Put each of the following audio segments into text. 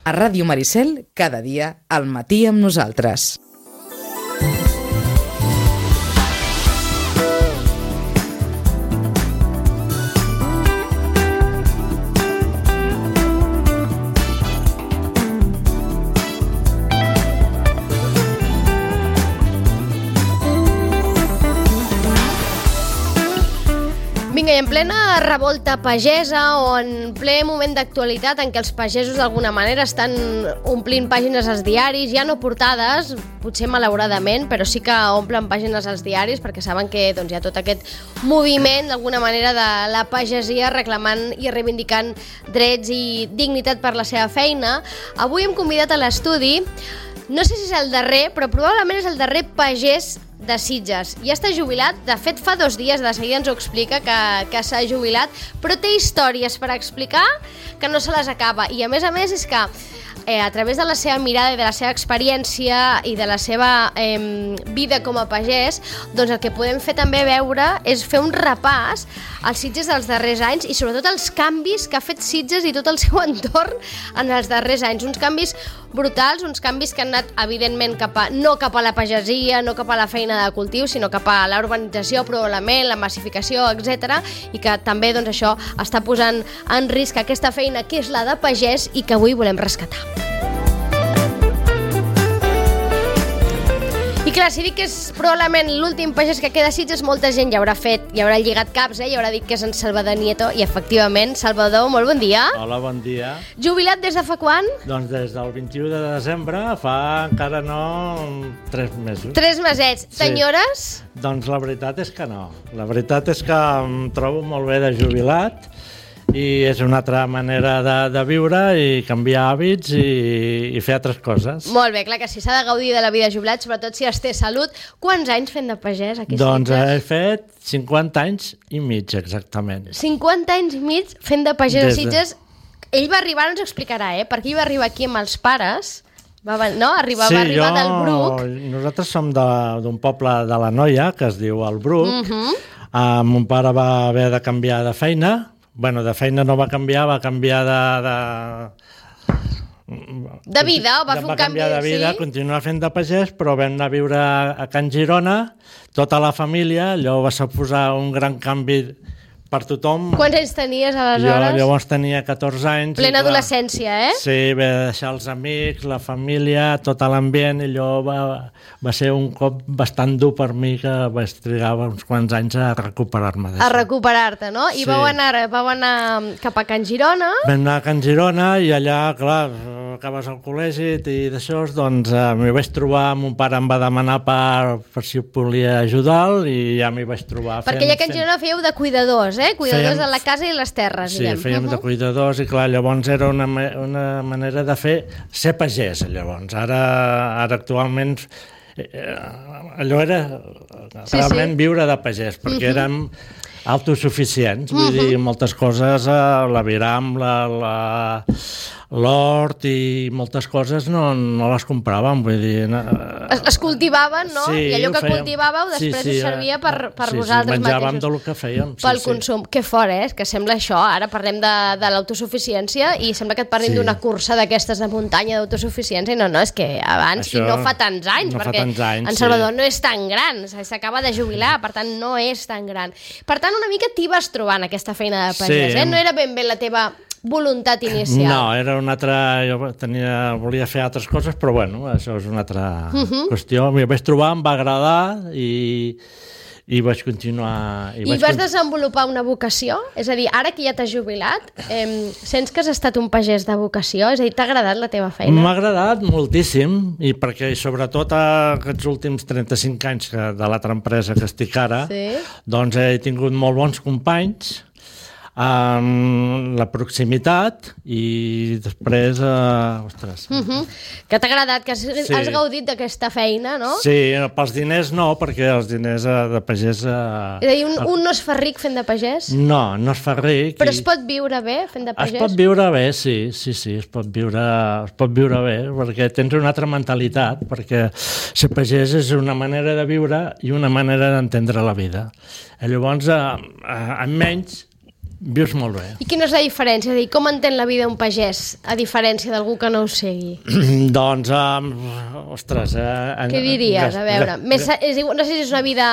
A Ràdio Maricel, cada dia, al matí amb nosaltres. Vinga, i en plena revolta pagesa o en ple moment d'actualitat en què els pagesos d'alguna manera estan omplint pàgines als diaris, ja no portades, potser malauradament, però sí que omplen pàgines als diaris perquè saben que hi ha tot aquest moviment d'alguna manera de la pagesia reclamant i reivindicant drets i dignitat per la seva feina. Avui hem convidat a l'estudi, no sé si és el darrer, però probablement és el darrer pagès de Sitges. Ja està jubilat, de fet fa 2 dies, de seguida ens ho explica que s'ha jubilat, però té històries per explicar que no se les acaba. I a més és que a través de la seva mirada i de la seva experiència i de la seva vida com a pagès, doncs el que podem fer també veure és fer un repàs als Sitges dels darrers anys i sobretot els canvis que ha fet Sitges i tot el seu entorn en els darrers anys. Uns canvis brutals, uns canvis que han anat evidentment no cap a la pagesia, no cap a la feina de cultiu, sinó cap a la urbanització, probablement, la massificació, etc. I que també això està posant en risc aquesta feina que és la de pagès i que avui volem rescatar. I clar, si dic que és probablement l'últim pagès que queda a Sitges, molta gent ja haurà lligat caps, i haurà dit que és en Salvador Nieto, i efectivament, Salvador, molt bon dia. Hola, bon dia. Jubilat des de fa quan? Doncs des del 21 de desembre, fa encara no 3 mesos. 3 mesets. T'enyores? Sí. Doncs la veritat és que no. La veritat és que em trobo molt bé de jubilat i és una altra manera de viure i canviar hàbits i fer altres coses. Molt bé, clar que sí, s'ha de gaudir de la vida jubilat, sobretot si es té salut. Quants anys fent de pagès aquí a Sitges? Doncs he fet 50 anys i mig, exactament. 50 anys i mig fent de pagès a Sitges. Ell va arribar, no ens ho explicarà, perquè ell va arribar aquí amb els pares, va arribar del Bruc. Nosaltres som d'un poble de la Noia, que es diu el Bruc. Mon pare va haver de canviar de feina. Bueno, de feina no va canviar, va canviar de vida, o va fer un canvi... Va canviar de vida, continuar fent de pagès, però vam anar a viure a Can Girona, tota la família, allò va suposar un gran canvi per tothom. Quants anys tenies aleshores? Jo llavors tenia 14 anys. Plena adolescència, Sí, vaig deixar els amics, la família, tot l'ambient, i allò va ser un cop bastant dur per mi, que vaig trigar uns quants anys a recuperar-me. A recuperar-te, no? I vau anar cap a Can Girona. Vam anar a Can Girona i allà, clar, acabes al col·legi i d'això, doncs m'hi vaig trobar, mon pare em va demanar per si volia ajudar i ja m'hi vaig trobar. Perquè allà a Can Girona fèieu de cuidadors, cuidadors de la casa i les terres, diguem. Sí, fèiem de cuidadors i clar, llavors era una manera de ser pagès, llavors. Ara actualment allò era realment viure de pagès, perquè érem autosuficients, vull dir, moltes coses, l'aviram, l'hort i moltes coses no les compràvem, vull dir... Es cultivaven, no? I allò que cultivàveu després us servia per vosaltres mateixos. Menjàvem del que fèiem. Pel consum. Que fort, que sembla això. Ara parlem de l'autosuficiència i sembla que et parlin d'una cursa d'aquestes de muntanya d'autosuficiència. No, és que abans, i no fa tants anys, perquè en Salvador no és tan gran, s'acaba de jubilar, per tant no és tan gran. Per tant, una mica t'hi vas trobant aquesta feina de pagès, no era ben bé la teva voluntat inicial. No, era una altra... Jo volia fer altres coses, però bueno, això és una altra qüestió. M'hi vaig trobar, em va agradar i vaig continuar... I vas desenvolupar una vocació? És a dir, ara que ja t'has jubilat, sents que has estat un pagès de vocació? És a dir, t'ha agradat la teva feina? M'ha agradat moltíssim, i perquè sobretot aquests últims 35 anys de l'altra empresa que estic ara, doncs he tingut molt bons companys, la proximitat i després que t'ha agradat, que has gaudit d'aquesta feina, no? Sí, pels diners no, perquè els diners de pagès... És a dir, un no es fa ric fent de pagès? No es fa ric. Però es pot viure bé fent de pagès? Es pot viure bé, sí, es pot viure bé, perquè tens una altra mentalitat, perquè ser pagès és una manera de viure i una manera d'entendre la vida. Llavors, amb menys vius molt bé. I quina és la diferència? És a dir, com entén la vida un pagès, a diferència d'algú que no ho segui? Doncs, ostres... Què diries? A veure, no sé si és una vida...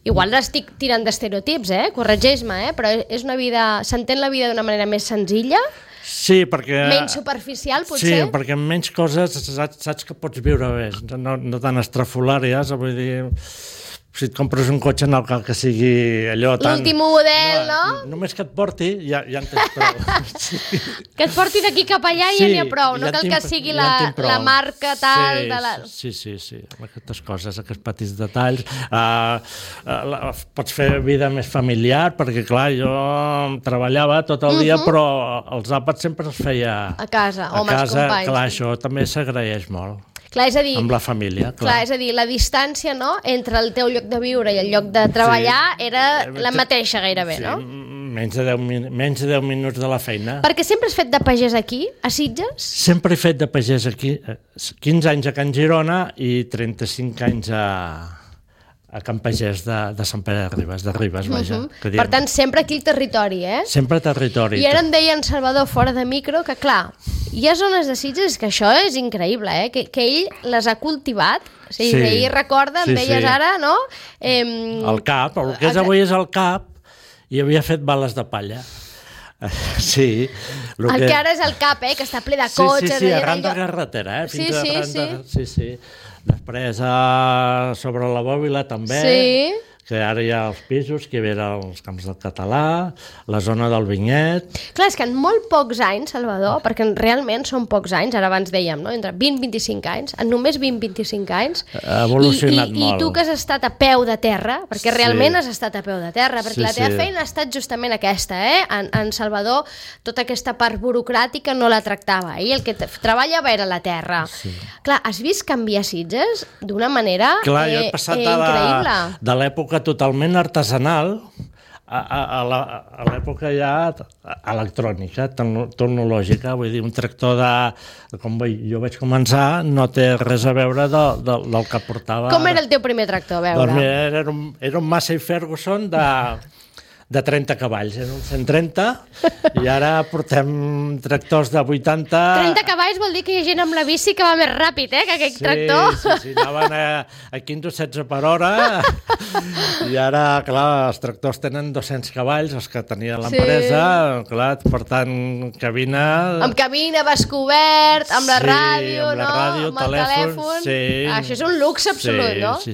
Igual estic tirant d'estereotips, corregeix-me, però és una vida... S'entén la vida d'una manera més senzilla? Sí, perquè... Menys superficial, potser? Sí, perquè amb menys coses saps que pots viure bé, no tan estrafolàries, vull dir... Si et compres un cotxe no cal que sigui allò tan... L'últim model, no? Només que et porti, ja en tens prou. Sí. Que et porti d'aquí cap allà i ja n'hi ha prou, no cal que sigui la marca tal... Sí, amb aquestes coses, aquests petits detalls. Pots fer vida més familiar, perquè clar, jo treballava tot el dia, però els àpats sempre els feia a casa, o amb els companys. Clar, això també s'agraeix molt. Clar, és a dir, amb la família, clar, és a dir, la distància, no?, entre el teu lloc de viure i el lloc de treballar era la mateixa gairebé, no? Menys de 10 minuts de la feina. Perquè sempre has fet de pagès aquí, a Sitges? Sempre he fet de pagès aquí, 15 anys a Can Girona i 35 anys a Can Pagès de Sant Pere de Ribes, vaja. Per tant, sempre aquí el territori, Sempre territori. I ara em deia en Salvador, fora de micro, que clar, hi ha zones de Sitges que això és increïble, que ell les ha cultivat, o sigui, ell recorda, em deies ara, no? El Cap, el que és avui és el Cap, i havia fet bales de palla. Sí. El que ara és el Cap, que està ple de cotxes. Sí, arran de carretera, Sí. Després, sobre la Bòbila també, que ara hi ha els pisos, que hi havia els Camps del Català, la zona del Vinyet... Clar, és que en molt pocs anys, Salvador, perquè realment són pocs anys, ara abans dèiem, no? Entre 20 i 25 anys, en només 20-25 anys... Ha evolucionat molt. I tu que has estat a peu de terra, perquè realment has estat a peu de terra, perquè la teva feina ha estat justament aquesta, En Salvador, tota aquesta part burocràtica no la tractava, i el que treballava era la terra. Clar, has vist canviar Sitges d'una manera increïble. De l'època totalment artesanal a l'època ja electrònica, tecnològica, vull dir, un tractor com jo vaig començar no té res a veure del que portava. Com era el teu primer tractor, a veure? Doncs era un Massey Ferguson de 30 cavalls, era un 130, i ara portem tractors de 80... 30 cavalls vol dir que hi ha gent amb la bici que va més ràpid, que aquest tractor. Sí, anaven a 15 o 16 per hora, i ara, clar, els tractors tenen 200 cavalls, els que tenia l'empresa, clar, per tant, cabina... Amb cabina, bascobert, amb la ràdio, no? Amb el telèfon. Això és un luxe absolut, no? Sí,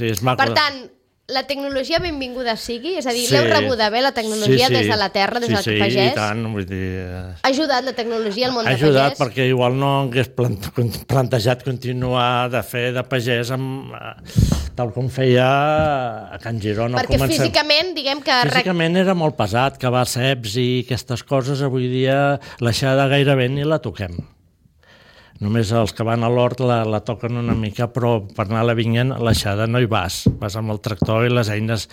és maco. Per tant, la tecnologia benvinguda sigui? És a dir, l'heu rebuda bé, la tecnologia, des de la terra, des del pagès? Sí, i tant, vull dir... Ha ajudat la tecnologia al món de pagès? Ha ajudat perquè igual no hagués plantejat continuar de fer de pagès tal com feia a Can Girona. Perquè físicament, diguem que... Físicament era molt pesat, cavar ceps i aquestes coses, avui dia l'aixada gairebé ni la toquem. Només els que van a l'hort la toquen una mica, però per anar a la vinya a l'aixada no hi vas amb el tractor i les eines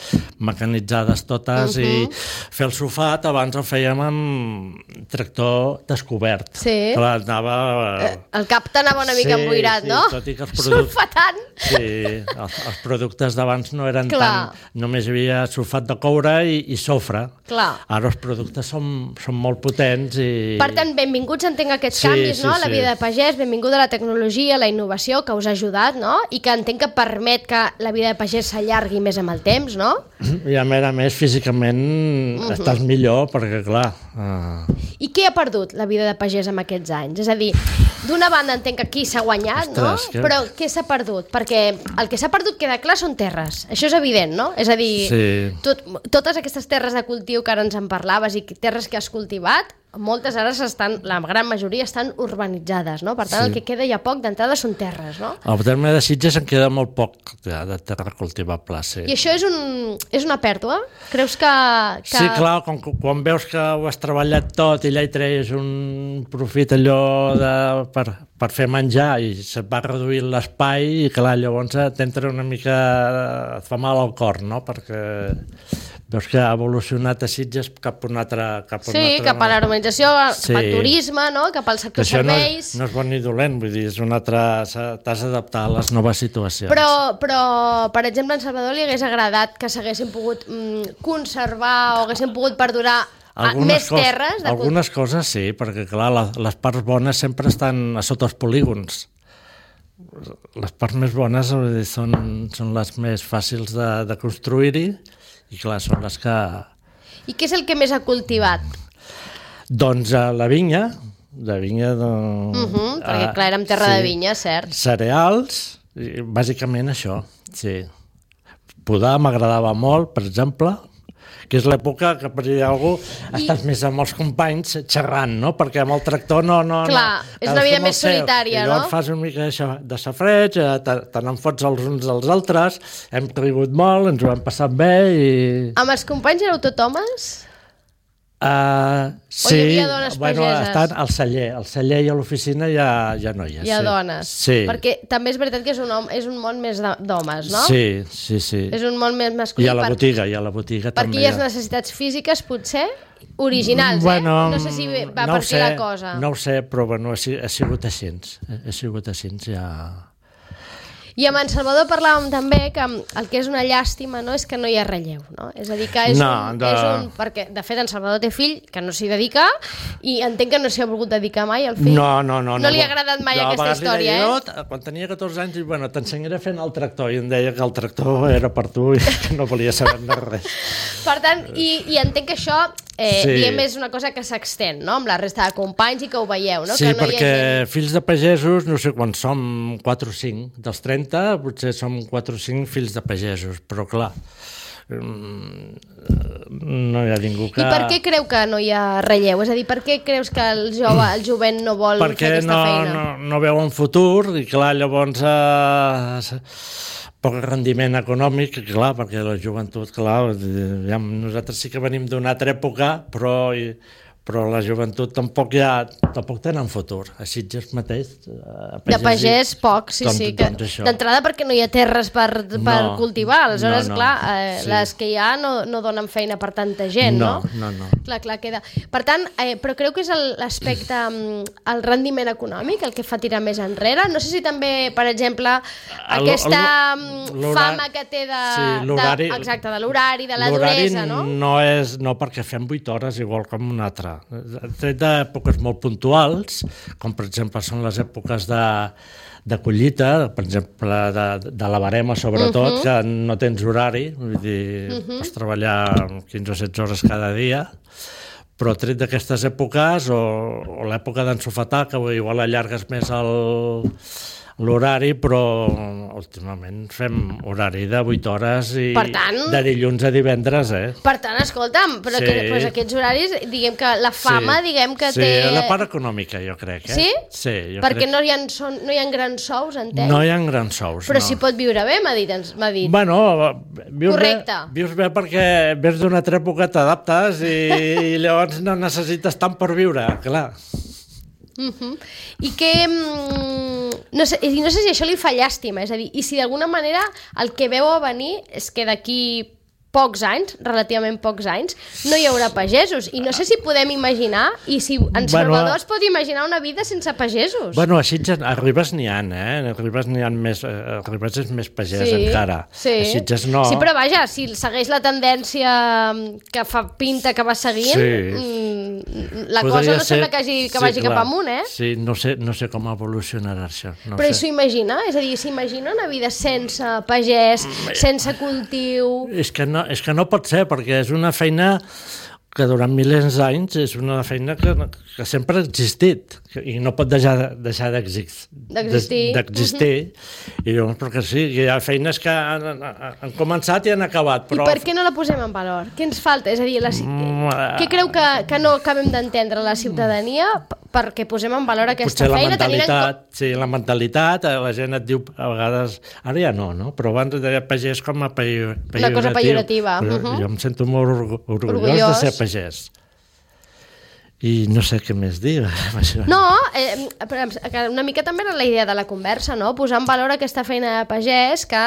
mecanitzades totes, i fer el sofat abans el fèiem amb tractor descobert. Sí. Clar, anava... El cap t'anava una mica emboirat, no? Tot i que sulfatant. Sí, els productes d'abans no eren tant... Només hi havia sulfat de coure i sofre. Clar. Ara els productes són molt potents i... Per tant, benvinguts entenc aquests canvis, no? A la vida de pagès, benvinguda la tecnologia, la innovació, que us ha ajudat, no? I que entenc que permet que la vida de pagès s'allargui més amb el temps, no? I a més, físicament estàs millor, perquè clar... I què ha perdut la vida de pagès en aquests anys? És a dir, d'una banda entenc que aquí s'ha guanyat, no? Però què s'ha perdut? Perquè el que s'ha perdut, queda clar, són terres. Això és evident, no? És a dir, totes aquestes terres de cultiu que ara ens en parlaves i terres que has cultivat, moltes ara la gran majoria estan urbanitzades, no? Per tant, el que queda ja poc d'entrada són terres, no? Al terme de Sitges en queda molt poc de terra cultivable, sí. I això és una pèrdua? Creus que... Sí, clar, quan veus que ho has treballat tot i allà hi treies un profit allò per fer menjar i se't va reduir l'espai i clar, llavors t'entra una mica... et fa mal al cor, no? Perquè veus que ha evolucionat a Sitges cap a un altre... cap a l'urbanització, cap al turisme, no? Cap al sector serveis... No és bon ni dolent, vull dir, és una altra... T'has d'adaptar a les noves situacions. Però, per exemple, en Salvador li hagués agradat que s'haguessin pogut conservar o haguessin pogut perdurar més terres? Algunes coses sí, perquè clar, les parts bones sempre estan a sota els polígons. Les parts més bones són les més fàcils de construir-hi i clar, són les que... I què és el que més ha cultivat? Doncs la vinya, perquè clar, érem terra de vinya, cert. Cereals, bàsicament això, sí. Podar m'agradava molt, per exemple, que és l'època que per dir alguna cosa estàs més amb els companys xerrant, no? Perquè amb el tractor no... Clar, és una vida més solitària, no? I llavors fas una mica de safreig, te n'enfots els uns dels altres, hem rigut molt, ens ho hem passat bé i... Amb els companys éreu tot homes? Sí, o hi havia dones pageses? Estan al celler i a l'oficina hi ha noies. Hi ha dones, sí. Perquè també és veritat que és un món més d'homes, no? Sí. És un món més masculí. I a la botiga també. Per aquelles necessitats físiques, potser, originals, bueno, No sé si va per aquí la cosa. No ho sé, però bueno, ha sigut així, ja... I amb en Salvador parlàvem també que el que és una llàstima, no, és que no hi ha relleu, no? És a dir, que és un... Perquè, de fet, en Salvador té fill que no s'hi dedica i entenc que no s'hi ha volgut dedicar mai al fill. No. No li ha agradat mai aquesta història, Quan tenia 14 anys, bueno, t'ensenyaré fent el tractor, i em deia que el tractor era per tu i que no volia saber de res. Per tant, i entenc que això, diguem, és una cosa que s'extén, no?, amb la resta de companys i que ho veieu, no? Sí, que no perquè fills de pagesos, no sé quan som 4 o 5, dels 30, potser som 4 o 5 fills de pagesos, però clar, no hi ha ningú que... I per què creu que no hi ha relleu? És a dir, per què creus que el jovent no vol fer aquesta feina? Perquè no veu un futur i clar, llavors poc rendiment econòmic, clar, perquè la joventut, clar, nosaltres sí que venim d'una altra època, però la joventut tampoc tenen futur. A Sitges mateix... De pagès poc, sí. D'entrada perquè no hi ha terres per cultivar, aleshores, clar, les que hi ha no donen feina per tanta gent, no? No. Clar, queda. Per tant, però creu que és l'aspecte, el rendiment econòmic, el que fa tirar més enrere? No sé si també, per exemple, aquesta fama que té de l'horari, de la duresa, no? No, perquè fem 8 hores igual com una altra. Tret d'èpoques molt puntuals, com per exemple són les èpoques de collita, per exemple de la barema sobretot, que no tens horari, vull dir, pots treballar 15 o 16 hores cada dia, però tret d'aquestes èpoques o l'època d'ensofetar, que igual allargues més l'horari, però últimament fem horari de 8 hores i de dilluns a divendres, Per tant, escolta'm, però aquests horaris, diguem que la fama, diguem que té... Sí, la part econòmica, jo crec. Sí? Sí, jo perquè crec. No hi ha grans sous, entenc? No hi ha grans sous, però s'hi pot viure bé, m'ha dit. Bueno, vius bé perquè ves d'una altra època, t'adaptes i llavors no necessites tant per viure, clar. I que no sé si això li fa llàstima, és a dir, i si d'alguna manera el que veu a venir és que d'aquí pocs anys, relativament pocs anys, no hi haurà pagesos, i no sé si podem imaginar, i si en Salvador es pot imaginar una vida sense pagesos. Bueno, a Ribes n'hi ha, a Ribes n'hi ha més, a Ribes és més pagès encara. Sí. A Sitges no. Sí, però vaja, si segueix la tendència que fa pinta que va seguint, la cosa no sembla que vagi cap amunt, Sí, no sé com evolucionarà això. Però s'ho imagina? És a dir, s'imagina una vida sense pagès, sense cultiu... És que no pot ser, perquè és una feina que durant milers d'anys és una feina que sempre ha existit i no pot deixar d'existir. I llavors, perquè sí, hi ha feines que han començat i han acabat. Però... I per què no la posem en valor? Què ens falta? És a dir, què creu que no acabem d'entendre la ciutadania perquè posem en valor aquesta feina? Sí, la mentalitat, la gent et diu a vegades, ara ja no, però abans deia pagès com a pejoratiu. Una cosa pejorativa. Jo em sento molt orgullós de ser pagès. I no sé què més dir. No, una mica també era la idea de la conversa, no? Posar en valor aquesta feina de pagès que,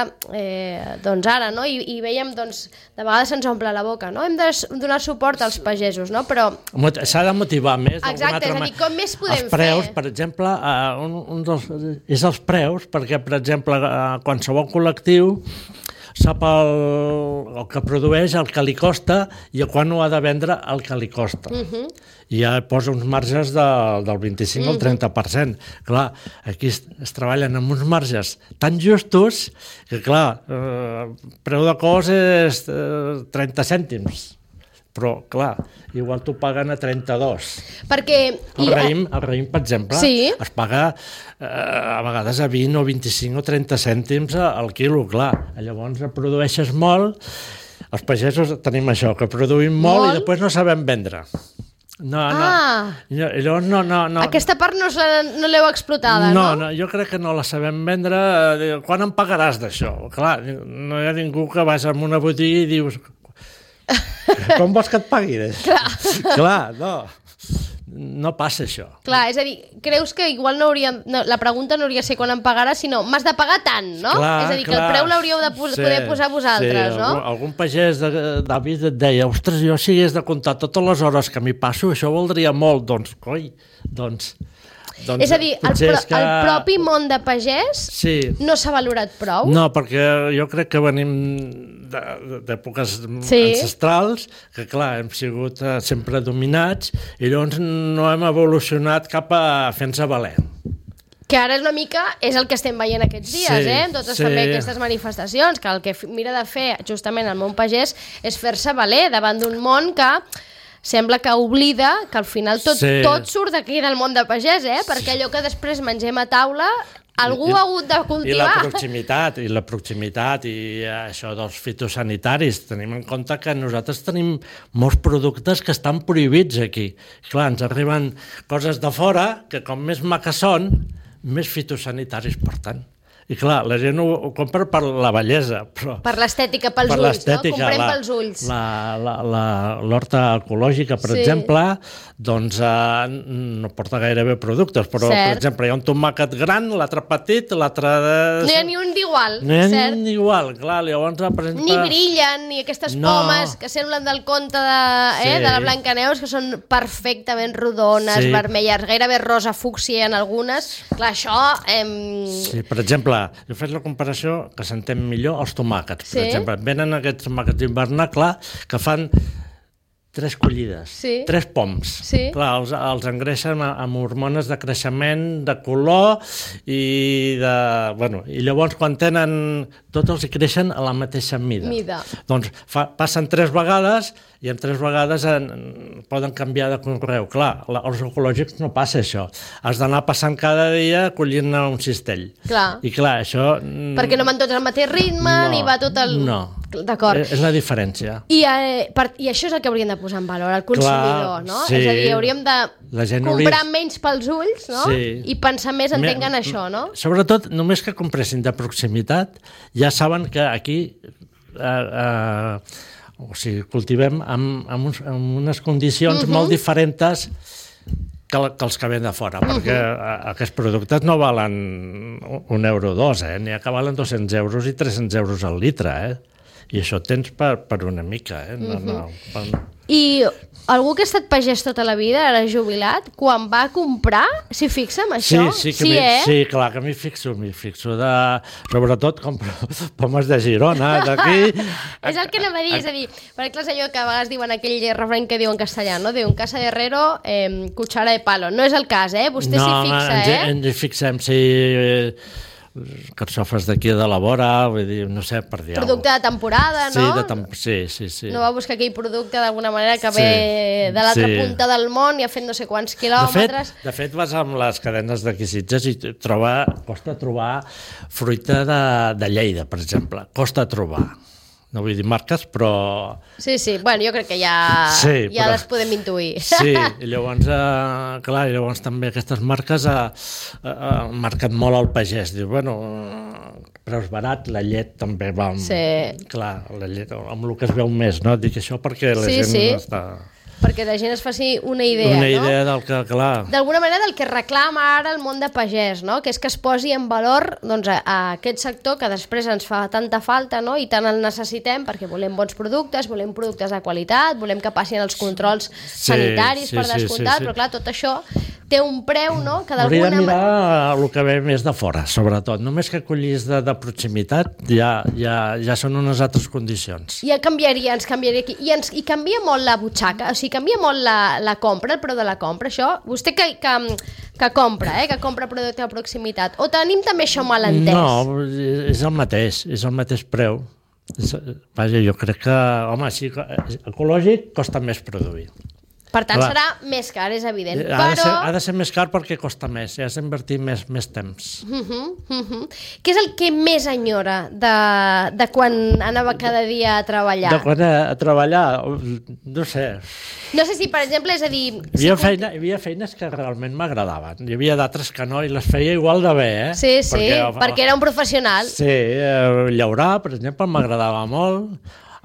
doncs ara, no? I veiem, doncs, de vegades se'ns omple la boca, no? Hem de donar suport als pagesos, no? Però... S'ha de motivar més. Exacte, és a dir, com més podem els preus, fer? Per exemple, és els preus, perquè, per exemple, qualsevol col·lectiu sap el que produeix, el que li costa i quan ho ha de vendre el que li costa. I ja posa uns marges del 25 al 30%. Clar, aquí es treballen amb uns marges tan justos que, clar, preu de cos és 30 cèntims. Però, clar, igual t'ho paguen a 32. Perquè... El raïm, per exemple, es paga a vegades a 20 o 25 o 30 cèntims al quilo, clar. Llavors produeixes molt, els pagesos tenim això, que produïm molt i després no sabem vendre. Llavors no. Aquesta part no l'heu explotada, no? No, jo crec que no la sabem vendre. Quan em pagaràs d'això? Clar, no hi ha ningú que vas a una botiga i dius... Com vols que et pagui? Clar, no passa això. Clar, és a dir, creus que igual la pregunta no hauria de ser quan em pagaràs, sinó m'has de pagar tant, no? És a dir, que el preu l'hauríeu de poder posar vosaltres, no? Algun pagès d'Avis et deia, ostres, jo si hagués de comptar totes les hores que m'hi passo, això voldria molt. Doncs, coi, és a dir, el propi món de pagès no s'ha valorat prou? No, perquè jo crec que venim d'èpoques ancestrals, que clar, hem sigut sempre dominats i llavors no hem evolucionat cap a fer-nos valer. Que ara és una mica, és el que estem veient aquests dies, amb totes també aquestes manifestacions, que el que mira de fer justament el món pagès és fer-se valer davant d'un món que sembla que oblida que al final tot surt d'aquí del món de pagès, perquè allò que després mengem a taula algú ha hagut de cultivar. I la proximitat i això dels fitosanitaris. Tenim en compte que nosaltres tenim molts productes que estan prohibits aquí. Clar, ens arriben coses de fora que com més maques són, més fitosanitaris porten. I clar, la gent ho compra per la bellesa, però... Per l'estètica, pels ulls, no? Comprem pels ulls. L'horta ecològica, per exemple, doncs no porta gaire bé productes, però, per exemple, hi ha un tomàquet gran, l'altre petit, l'altre... No hi ha ni un d'igual, cert? No hi ha ni igual, clar, llavors, per exemple... Ni brillen, ni aquestes pomes que semblen del conte de la Blancaneus, que són perfectament rodones, vermelles, gairebé rosa fúcsia en algunes. Clar, això... Sí, per exemple, jo he fet la comparació que s'entén millor els tomàquets. Per exemple, venen aquests tomàquets d'hivernar, clar, que fan 3 collides, 3 poms. Clar, els engreixen amb hormones de creixement, de color i de... Bueno, i llavors quan tenen... Tots els hi creixen a la mateixa mida. Doncs passen 3 vegades i en 3 vegades poden canviar de conreu. Clar, als ecològics no passa això. Has d'anar passant cada dia collint-ne un cistell. I clar, això... Perquè no van tots al mateix ritme, ni va tot el... No, d'acord. És la diferència. I això és el que hauríem de posar en valor, el consumidor, no? És a dir, hauríem de comprar menys pels ulls, no? I pensar més en tenir això, no? Sobretot, només que compressin de proximitat, ja saben que aquí cultivem amb unes condicions molt diferents que els que ven de fora, perquè aquests productes no valen €1 o €2, n'hi ha que valen 200 euros i 300 euros al litre, i això tens per una mica. I algú que ha estat pagès tota la vida, ara jubilat, quan va comprar, s'hi fixa en això? Sí, clar que m'hi fixo. Sobretot compro pomes de Girona, d'aquí... És el que anava a dir, és a dir, perquè és allò que a vegades diuen aquell refrany que diu en castellà, no? Diu, en casa de herrero, cuchara de palo. No és el cas, vostè s'hi fixa, ens hi fixem, sí... carxofes d'aquí de la vora, vull dir, no sé, per dir producte de temporada, no? Sí. No va buscar aquell producte d'alguna manera que ve de l'altra punta del món i ha fet no sé quants quilòmetres. De fet, vas amb les cadenes d'aquí Sitges i costa trobar fruita de Lleida, per exemple. Costa trobar. No vull dir marques, però... Sí, bueno, jo crec que ja les podem intuir. Sí, i llavors, clar, llavors també aquestes marques han marcat molt el pagès. Diu, bueno, preus barats, la llet també va amb... Clar, la llet, amb el que es veu més, no? Dic això perquè la gent no està... perquè la gent es faci una idea, Una idea del que, clar... D'alguna manera del que reclama ara el món de pagès, no? Que és que es posi en valor doncs, a aquest sector que després ens fa tanta falta, no? I tant el necessitem perquè volem bons productes, volem productes de qualitat, volem que passin els controls sanitaris per descomptat, però clar, tot això té un preu, no? Que hauria de mirar el que ve més de fora, sobretot. Només que acollis de proximitat ja són unes altres condicions. Ja canviaria, ens canviaria aquí. I canvia molt la butxaca, o sigui, canvia molt la compra, el preu de la compra, això? Vostè que compra, que compra producte de proximitat. O tenim també això mal entès? No, és el mateix preu. Vaja, jo crec que, home, sí, ecològic costa més produir. Per tant, serà més car, és evident. Ha de ser més car perquè costa més, has d'invertir més temps. Què és el que més enyora de quan anava cada dia a treballar? De quan a treballar, no sé. No sé si, per exemple, és a dir... Hi havia feines que realment m'agradaven. Hi havia d'altres que no, i les feia igual de bé, eh? Sí, perquè era un professional. Sí, llaurar, per exemple, m'agradava molt.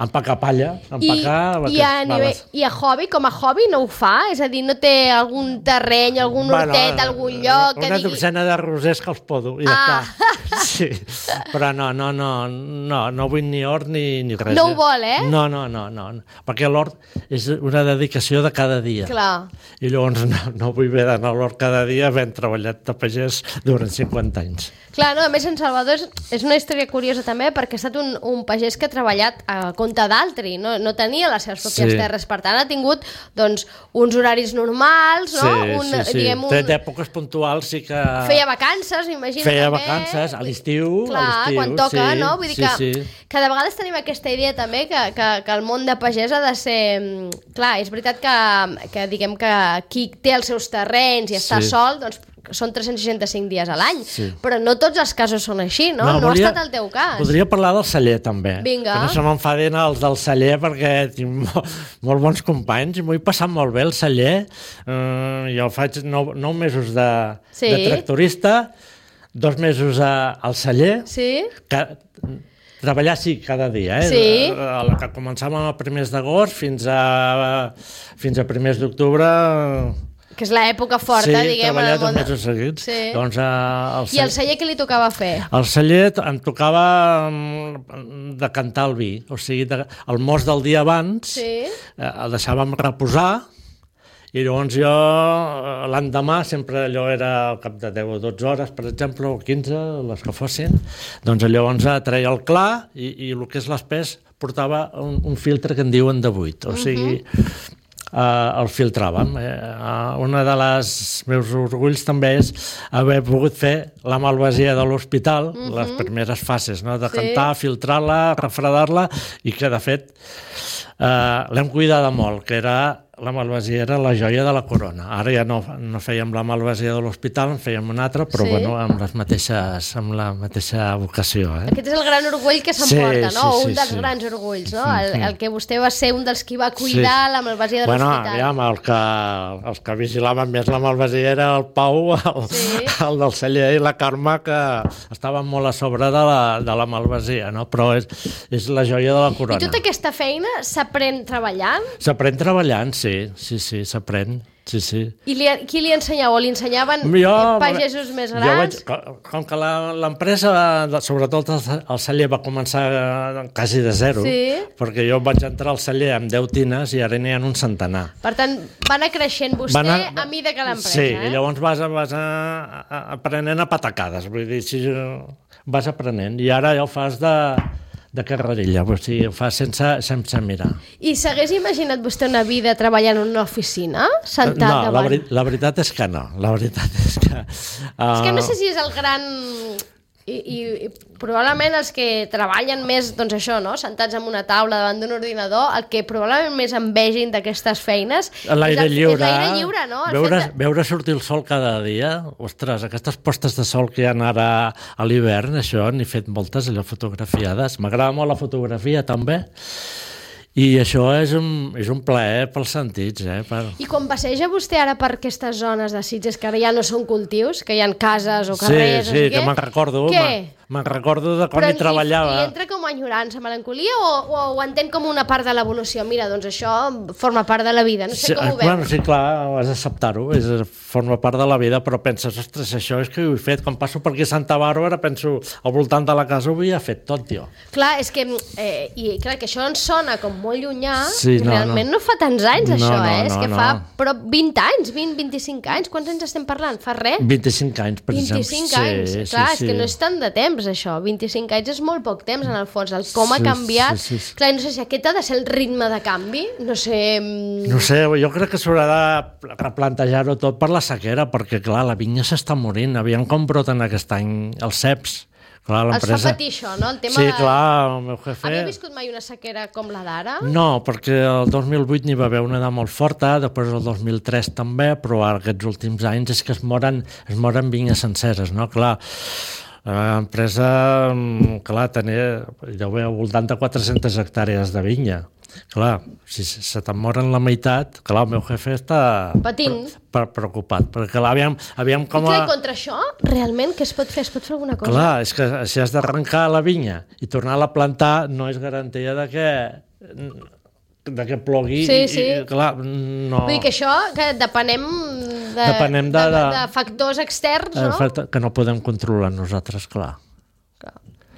Empacar palla, I a hobby, com a hobby no ho fa? És a dir, no té algun terreny, algun hortet, algun lloc... Una dotzena de rosers que els podo, i ja està. Sí, però no vull ni hort ni res. No ho vol, eh? No, perquè l'hort és una dedicació de cada dia. Clar. I llavors no vull haver d'anar a l'hort cada dia havent treballat de pagès durant 50 anys. Clar, no, a més en Salvador és una història curiosa també perquè ha estat un pagès que ha treballat a compte d'altri, no tenia les seves pròpies terres, per tant ha tingut doncs, uns horaris normals, no? Sí. Té èpoques puntuals, sí que... Feia vacances, m'imagino. Feia vacances, a l'estiu. Clar, quan toca, no? Vull dir que de vegades tenim aquesta idea també que el món de pagès ha de ser... Clar, és veritat que diguem que qui té els seus terrenys i està sol, doncs són 365 dies a l'any, però no tots els casos són així, no? No ha estat el teu cas. Podria parlar del celler, també. Vinga. Que no se m'enfadin els del celler, perquè tinc molt bons companys i m'ho he passat molt bé, el celler. Jo faig 9 mesos de tractorista, 2 mesos al celler, treballar cada dia, que començàvem a primers d'agost fins a primers d'octubre... Que és l'època forta, diguem. Sí, treballar 2 mesos seguits. Doncs, I el celler què li tocava fer? El celler em tocava decantar el vi, o sigui, el mos del dia abans el deixàvem reposar i llavors jo l'endemà, sempre allò era al cap de 10 o 12 hores, per exemple, o 15, les que fossin, doncs llavors treia el clar i el que és l'espès portava un filtre que en diuen de 8, o sigui... el filtràvem. Un dels meus orgulls també és haver pogut fer la malvasia de l'hospital, les primeres fases, no? Decantar, filtrar-la, refredar-la, i que de fet l'hem cuidada molt, que era... La malvasia era la joia de la corona. Ara ja no fèiem la malvasia de l'hospital, en fèiem una altra, però bueno, amb la mateixa vocació. Aquest és el gran orgull que s'emporta, no? Un dels grans orgulls, no? El que vostè va ser un dels qui va cuidar la malvasia de l'hospital. Bueno, els que vigilaven més la malvasia era el Pau, el del celler, i la Carme, que estaven molt a sobre de la malvasia, no? Però és la joia de la corona. I tota aquesta feina s'aprèn treballant? S'aprèn treballant, sí, s'aprèn. Sí. I qui li ensenyava? O li ensenyaven pagesos més grans? Com que l'empresa, sobretot el celler, va començar quasi de zero, perquè jo vaig entrar al celler amb 10 tines i ara n'hi ha un centenar. Per tant, va anar creixent vostè a mida que l'empresa. Sí, i llavors vas aprenent a patacades, vull dir, vas aprenent, i ara ja ho fas de carrerilla, o sigui, ho fa sense mirar. I s'hagués imaginat vostè una vida treballant en una oficina? Sentat davant? No, la veritat és que no. La veritat és que... És que no sé si és el gran... I probablement els que treballen més, doncs això, no? Sentats en una taula davant d'un ordinador, el que probablement més envegin d'aquestes feines l'aire lliure, és l'aire lliure, no? Veure sortir el sol cada dia. Ostres, aquestes postes de sol que hi ha ara a l'hivern, això, n'he fet moltes, allò fotografiades. M'agrada molt la fotografia, també. I això és un plaer pels sentits. I quan passeja vostè ara per aquestes zones de Sitges, que ara ja no són cultius, que hi ha cases o carrers... Sí, que me'n recordo. Què? me'n recordo de quan hi treballava. I entra com a enyorança, melancolia, o ho entén com una part de l'evolució? Mira, doncs això forma part de la vida, no sé com ho veus. Bueno, sí, clar, has d'acceptar-ho, forma part de la vida, però penses, ostres, això és que ho he fet. Quan passo per aquí a Santa Bàrbara, penso, al voltant de la casa ho havia fet tot, tio. Clar, és que, i clar, que això ens sona com molt llunyà, i realment no fa tants anys, això, és que fa prop 20 anys, 20-25 anys, quants anys estem parlant? Fa res? 25 anys, per exemple. 25 anys, clar, és que no és tant de temps, això. 25 anys és molt poc temps, en el fons. El com ha canviat. Clar, no sé si aquest ha de ser el ritme de canvi, no sé... No sé, jo crec que s'haurà de replantejar-ho tot per la sequera, perquè, clar, la vinya s'està morint. Aviam com broten aquest any els ceps. Clar, els fa patir això, no? El tema sí, clar, el meu jefe... Havia viscut mai una sequera com la d'ara? No, perquè el 2008 n'hi va haver una de molt forta, després el 2003 també, però aquests últims anys és que es moren vinyes senceres, no? Clar, l'empresa, clar, tenia, deu haver al voltant de 400 hectàrees de vinya. Clar, si se te'n moren la meitat, clar, el meu jefe està patint, preocupat, perquè clar, aviam com a... I clar, contra això, realment, què es pot fer? Es pot fer alguna cosa? Clar, és que si has d'arrencar la vinya i tornar-la a plantar, no és garantia de que plogui. Sí. I, clar, no... Vull dir que això, que depenem de factors externs, no? Que no podem controlar nosaltres, clar.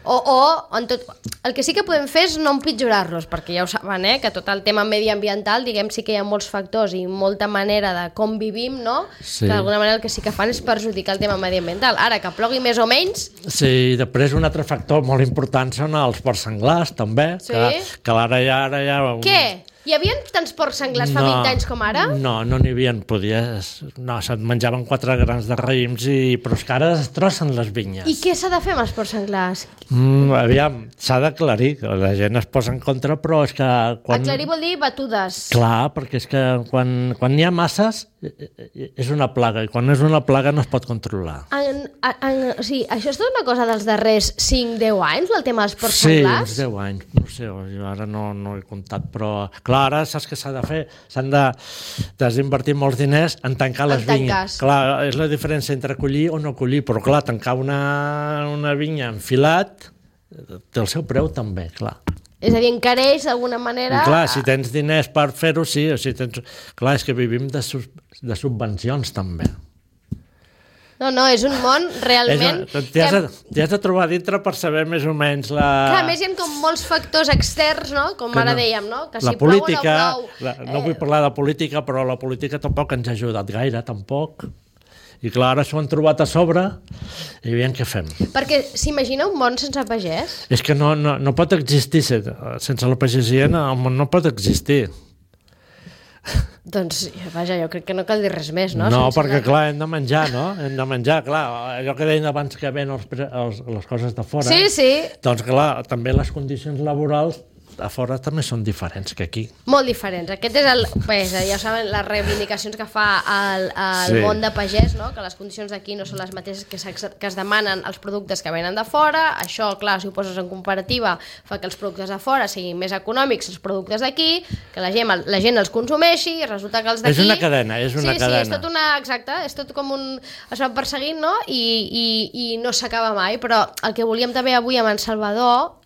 El que sí que podem fer és no empitjorar-los, perquè ja ho saben, que tot el tema mediambiental, diguem, sí que hi ha molts factors i molta manera de com vivim, no? Sí. Que d'alguna manera el que sí que fan és perjudicar el tema mediambiental. Ara, que plogui més o menys... Sí, després un altre factor molt important són els porcs senglars, també, que ara ja... Què? Hi havia tants porcs senglars fa 20 anys com ara? No n'hi havia, no, se'n menjaven 4 grans de raïms, però és que ara es destrossen les vinyes. I què s'ha de fer amb els porcs senglars? Aviam, s'ha d'aclarir, la gent es posa en contra, però és que... Aclarir vol dir batudes. Clar, perquè és que quan n'hi ha masses és una plaga, i quan és una plaga no es pot controlar. O sigui, això és tota una cosa dels darrers 5-10 anys, el tema dels porcs senglars? Sí, uns 10 anys, no sé, jo ara no he comptat, però clar, ara saps què s'ha de fer? S'han d'invertir molts diners en tancar les vinyes. Clar, és la diferència entre collir o no collir, però clar, tancar una vinya enfilat té el seu preu també, clar. És a dir, encareix d'alguna manera... I clar, si tens diners per fer-ho, sí. Clar, és que vivim de subvencions també. No, és un món realment... T'hi has de trobar dintre per saber més o menys la... Clar, a més hi ha com molts factors externs, no? Com ara dèiem, no? Que si política, plou o no plou... No vull parlar de política, però la política tampoc ens ha ajudat gaire, tampoc. I clar, ara s'ho han trobat a sobre i veiem què fem. Perquè s'imagina un món sense pagès? És que no pot existir sense la pagesia, el món no pot existir. Doncs, vaja, jo crec que no cal dir res més, no? No, perquè clar, hem de menjar, no? Hem de menjar, clar, allò que deien abans que ven les coses de fora. Sí. Doncs clar, també les condicions laborals a fora també són diferents que aquí. Molt diferents. Aquest és ja saben, les reivindicacions que fa el món de pagès, no? Que les condicions d'aquí no són les mateixes que es demanen els productes que venen de fora. Això, clar, si ho poses en comparativa, fa que els productes de fora siguin més econòmics els productes d'aquí, que la gent els consumeixi, i resulta que els d'aquí... És una cadena, cadena. Sí, és tot exacte, és tot com es va perseguint, no? I no s'acaba mai, però el que volíem també avui amb en Salvador,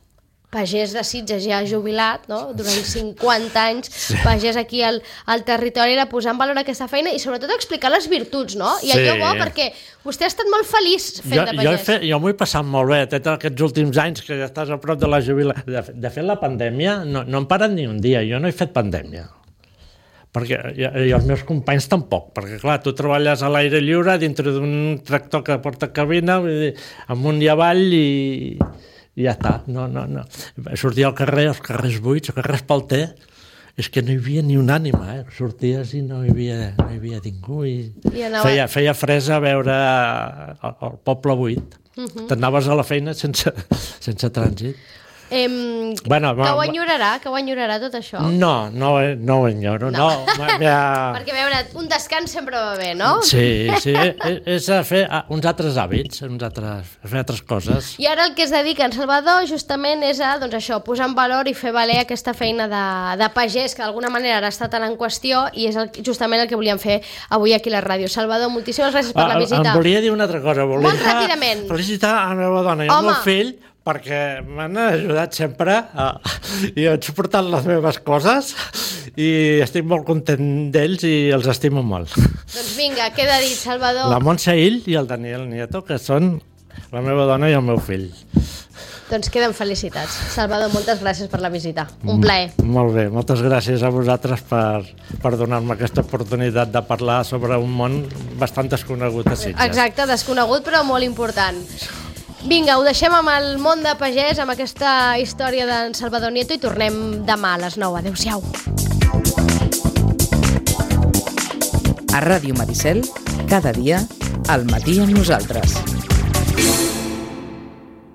pagès de Sitges ja jubilat, no? Durant 50 anys, pagès aquí al territori, era posar en valor aquesta feina i sobretot explicar les virtuts, no? I allò bo, perquè vostè ha estat molt feliç fent de pagès. Jo m'ho he passat molt bé, aquests últims anys que ja estàs a prop de la jubilació. De fet, la pandèmia no hem parat ni un dia, jo no he fet pandèmia. I els meus companys tampoc, perquè clar, tu treballes a l'aire lliure dintre d'un tractor que porta cabina, amunt i avall i ja està, no. Sortia al carrer, els carrers buits, els carrers pel té, és que no hi havia ni un ànima, sorties i no hi havia ningú feia fresa veure el poble buit. T'anaves a la feina sense trànsit. Bueno, que ho enyorarà tot això? No ho enyoro. No. Perquè, a veure, un descans sempre va bé, no? Sí, és a fer uns altres hàbits, fer altres coses. I ara el que es dedica en Salvador justament és a, doncs això, posar en valor i fer valer aquesta feina de pagès que d'alguna manera ara està tan en qüestió i és justament el que volíem fer avui aquí a la ràdio. Salvador, moltíssimes gràcies per la visita. Em volia dir una altra cosa. Molt ràpidament. Felicitar a la meva dona i al meu fill perquè m'han ajudat sempre i han suportat les meves coses i estic molt content d'ells i els estimo molt. Doncs vinga, queda dit, Salvador. La Montse Ill i el Daniel Nieto, que són la meva dona i el meu fill. Doncs queden felicitats. Salvador, moltes gràcies per la visita. Un plaer. Molt bé, moltes gràcies a vosaltres per donar-me aquesta oportunitat de parlar sobre un món bastant desconegut a Sitges. Exacte, desconegut però molt important. Vinga, ho deixem amb el món de pagès, amb aquesta història d'en Salvador Nieto i tornem demà a les 9. Adéu-siau. A Ràdio Maricel, cada dia, al matí amb nosaltres.